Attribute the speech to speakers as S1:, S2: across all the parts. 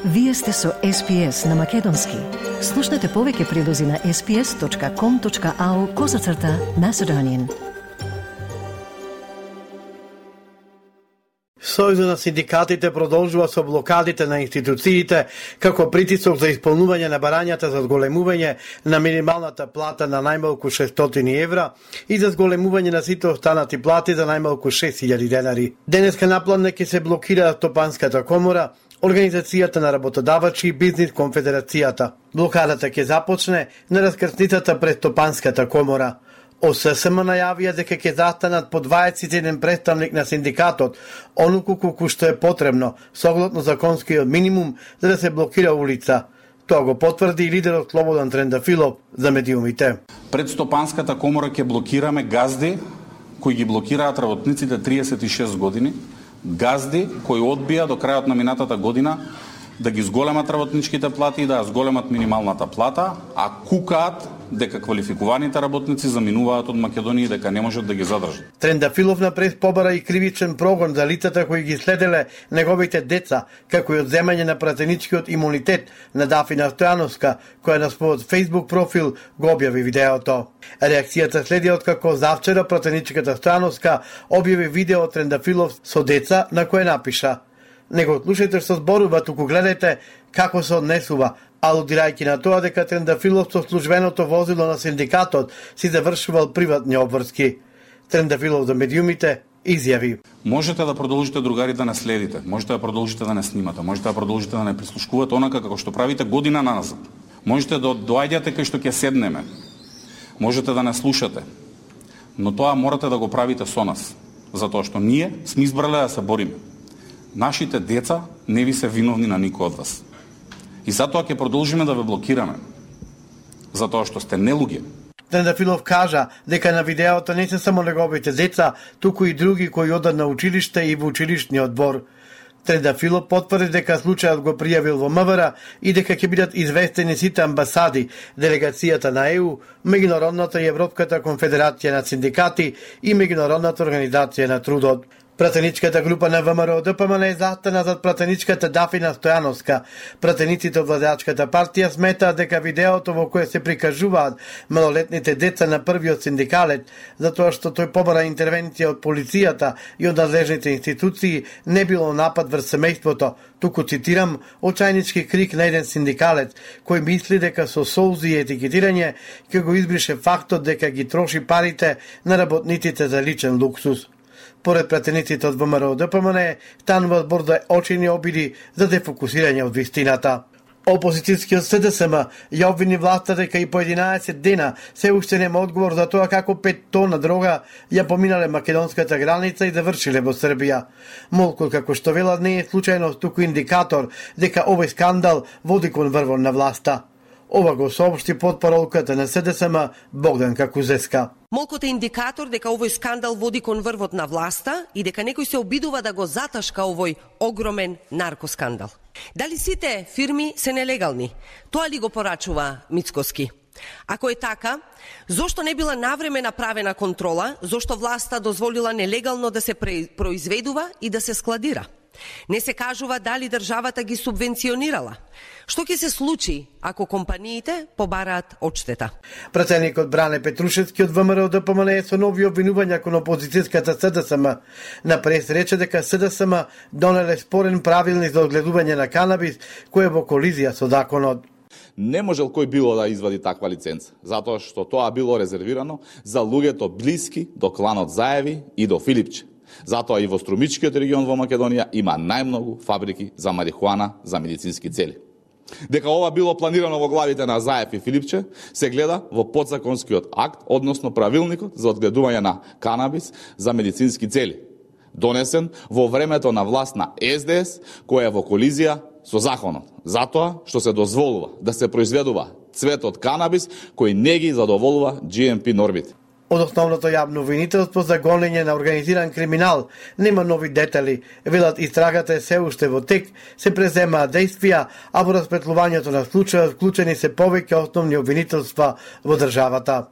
S1: Вие сте со SPS на Македонски. Слушнете повеќе прилози на sps.com.au/Macedonian.
S2: Сојузот на синдикатите продолжува со блокадите на институциите како притисок за исполнување на барањата за зголемување на минималната плата на најмалку 600 евра и за зголемување на сите останати плати за најмалку 6000 денари. Денеска напланне ќе се блокира Стопанската комора, Организацијата на работодавачи и Бизнис конфедерацијата. Блокадата ќе започне на раскрсницата пред Стопанската комора. ОССМ најавија дека ќе застанат по 21 представник на синдикатот, онуку колку што е потребно, согласно законскиот минимум, за да се блокира улица. Тоа го потврди и лидерот Слободан Трендафилов за медиумите.
S3: Пред Стопанската комора ќе блокираме газди кои ги блокираат работниците 36 години, газди кои одбија до крајот на минатата година да ги зголемат работничките плати и да ја зголемат минималната плата, а кукаат дека квалификуваните работници заминуваат од Македонија и дека не можат да ги задржат.
S2: Трендафилов на прес побара и кривичен прогон за лицата кои ги следеле неговите деца, како и одземање на пратеничкиот имунитет на Дафина Стојановска, која на својот Facebook профил го објави видеото. Реакцијата следи откако завчера пратеничката Стојановска објави видео од Трендафилов со деца на кое напиша: "Не го слушајте што зборува, туку гледајте како се однесува", алудирајќи на тоа дека Трендафилов со службеното возило на синдикатот си завршувал приватни обврски. Трендафилов за медиумите изјави:
S3: "Можете да продолжите, другари, да не следите, можете да продолжите да не снимате, можете да продолжите да не прислушкувате онака како што правите година наназад. Можете да доаѓате кај што ќе седнеме, можете да не слушате, но тоа морате да го правите со нас, затоа што ние сме избрале да се бориме. Нашите деца не ви се виновни на никој од вас. И затоа ќе продолжиме да ве блокираме, затоа што сте нелуѓе."
S2: Трендафилов кажа дека на видеото не се само неговите деца, туку и други кои одат на училиште и во училишниот двор. Трендафилов потврди дека случајот го пријавил во МВР и дека ќе бидат известени сите амбасади, делегацијата на ЕУ, Меѓународната и Европската конфедерација на синдикати и Меѓународната организација на трудот. Пратеничката група на ВМРО ДПМН е застана зад пратеничката Дафина Стојановска. Пратениците од владеачката партија сметаат дека видеото во кое се прикажуваат малолетните деца на првиот синдикалет, затоа што тој побара интервенција од полицијата и од надлежните институции, не било напад врз семејството, туку, цитирам, очајнички крик на еден синдикалец, кој мисли дека со солзи и етикетирање ќе го избрише фактот дека ги троши парите на работниците за личен луксус. Поред пратениците од ВМРО ДПМН, станува збор за очени обиди за дефокусирање од вистината. Опозицијскиот СДСМ ја обвини власта дека и по 11 дена се уште нема одговор за тоа како 5 тона дрога ја поминале македонската граница и завршиле во Србија. Молку, како што велат, не е случајно, туку индикатор дека овој скандал води кон врвон на власта. Ова го соопшти потпаролката на СДСМ Богданка Кузеска.
S4: Молкот е индикатор дека овој скандал води кон врвот на власта и дека некој се обидува да го заташка овој огромен наркоскандал. Дали сите фирми се нелегални? Тоа ли го порачува Мицкоски? Ако е така, зошто не била навреме направена контрола, зошто власта дозволила нелегално да се произведува и да се складира? Не се кажува дали државата ги субвенционирала. Што ќе се случи ако компаниите побараат одштета?
S2: Пратеникот Бране Петрушевски од ВМРО ДПМН со нови обвинувања кон опозицијската СДСМ. На прес рече дека СДСМ донеле спорен правилник за одгледување на канабис, кој е во колизија со законот.
S5: Не можел кој било да извади таква лиценца, затоа што тоа било резервирано за луѓето блиски до кланот Заеви и до Филипче. Затоа и во Струмичкиот регион во Македонија има најмногу фабрики за марихуана за медицински цели. Дека ова било планирано во главите на Заев и Филипче, се гледа во подзаконскиот акт, односно правилникот за одгледување на канабис за медицински цели, донесен во времето на власт на СДС, која е во колизија со законот, затоа што се дозволува да се произведува цвет од канабис кој не ги задоволува GMP нормите.
S2: Од основното јавно обвинителство за гонење на организиран криминал нема нови детали. Велат истрагата е се уште во тек, се преземаат действија, а во распретлувањето на случајот вклучени се повеќе основни обвинителства во државата.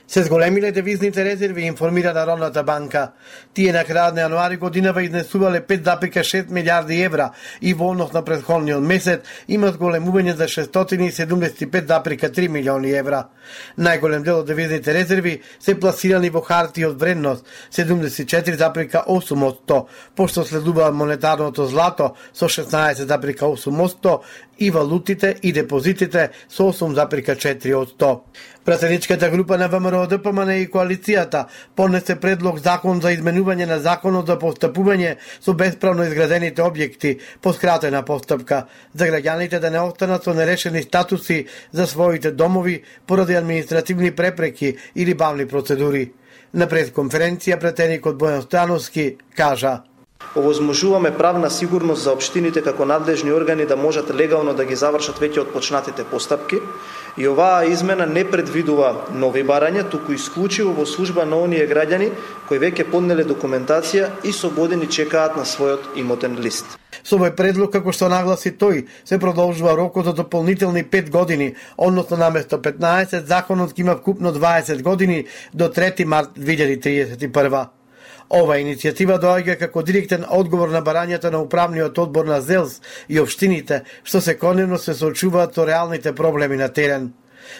S2: Се зголемиле девизните резерви, информира Народната банка. Тие на крајот на јануари годинава изнесувале 5,6 милиарди евра и во однос на претходниот месец има зголемување за 675,3 милиони евра. Најголем дел од девизните резерви се пласирани во хартии од вредност 74,8%, пошто следува монетарното злато со 16,8% и валутите и депозитите со 8,4%. Пратеничката група на ВМРО, ДПМН и коалицијата поднесе предлог закон за изменување на законот за постапување со бесправно изградените објекти по скратена постапка, за граѓаните да не останат со нерешени статуси за своите домови поради административни препреки или бавни процедури. На пресконференција пратеникот Бојан Стојановски кажа:
S6: Овозможуваме правна сигурност за општините како надлежни органи да можат легално да ги завршат веќе отпочнатите постапки и оваа измена не предвидува нови барања, туку исклучиво во служба на оние граѓани кои веќе поднеле документација и со години чекаат на својот имотен лист.
S2: Со овој предлог, како што нагласи тој, се продолжува рокот за дополнителни 5 години, односно наместо 15, законот ќе има вкупно 20 години до 3 март 2031. Ова иницијатива доаѓа како директен одговор на барањата на управниот одбор на ЗЕЛС и општините, што секојдневно се соочуваат со реалните проблеми на терен.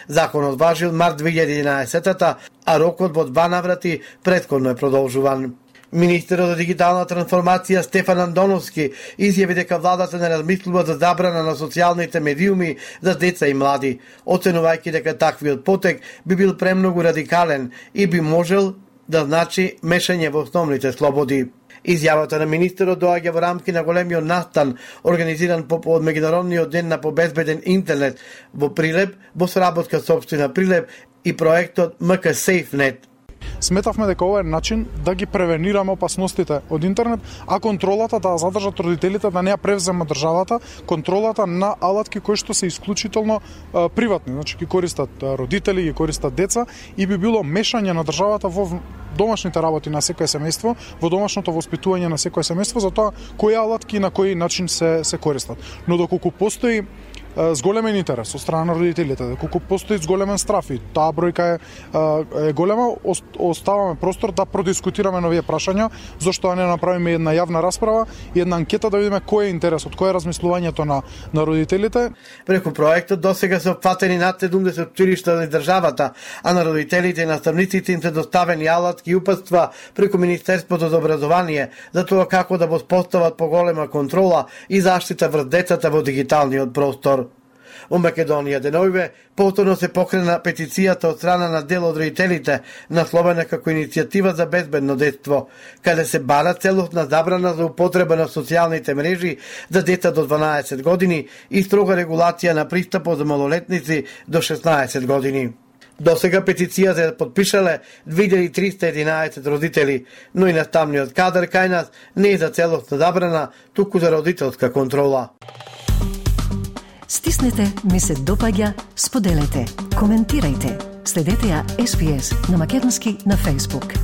S2: Законот важи од март 2011, а рокот во 2 наврати претходно е продолжуван. Министерот за дигитална трансформација Стефан Андоновски изјави дека владата не размислува за забрана на социјалните медиуми за деца и млади, оценувајќи дека таквиот потек би бил премногу радикален и би можел да значи мешање во основните слободи. Изјавата на министерот доаѓа во рамки на големиот настан организиран по повод меѓународниот ден на побезбеден интернет во Прилеп, во соработка со општина Прилеп и проектот МК SafeNet.
S7: Сметавме дека ова е начин да ги превенираме опасностите од интернет, а контролата да задржат родителите, да не ја превзема државата, контролата на алатки кои што се исклучително приватни, значи ги користат родители, ги користат деца и би било мешање на државата во домашните работи на секој семејство, во домашното воспитување на секој семејство за тоа кои алатки и на кој начин се користат. Но доколку постои зголемен интерес од страна на родителите, доколку постои зголемен страф и таа бројка е голема, оставаме простор да продискутираме на овие прашања, зашто не направиме една јавна расправа и една анкета да видиме кој е интересот, кој е размислувањето на родителите.
S2: Преку проектот досега се опфатени над 70 училишта на државата, а на родителите и наставниците им се доставени алатки и упатства преку Министерството за образование за тоа како да воспостават поголема контрола и заштита врз децата во дигиталниот простор. Во Македонија деновиве повторно се покрена петицијата од страна на дел од родителите, насловена како иницијатива за безбедно детство, каде се бара целосна забрана за употреба на социјалните мрежи за деца до 12 години и строга регулација на пристапот за малолетници до 16 години. Досега петиција се подпишале 2311 родители, но и наставниот кадар кај нас не е за целосна забрана, туку за родителска контрола.
S1: Стиснете, ми се допаѓа, споделете, коментирајте. Следете ја SPS на Македонски на Facebook.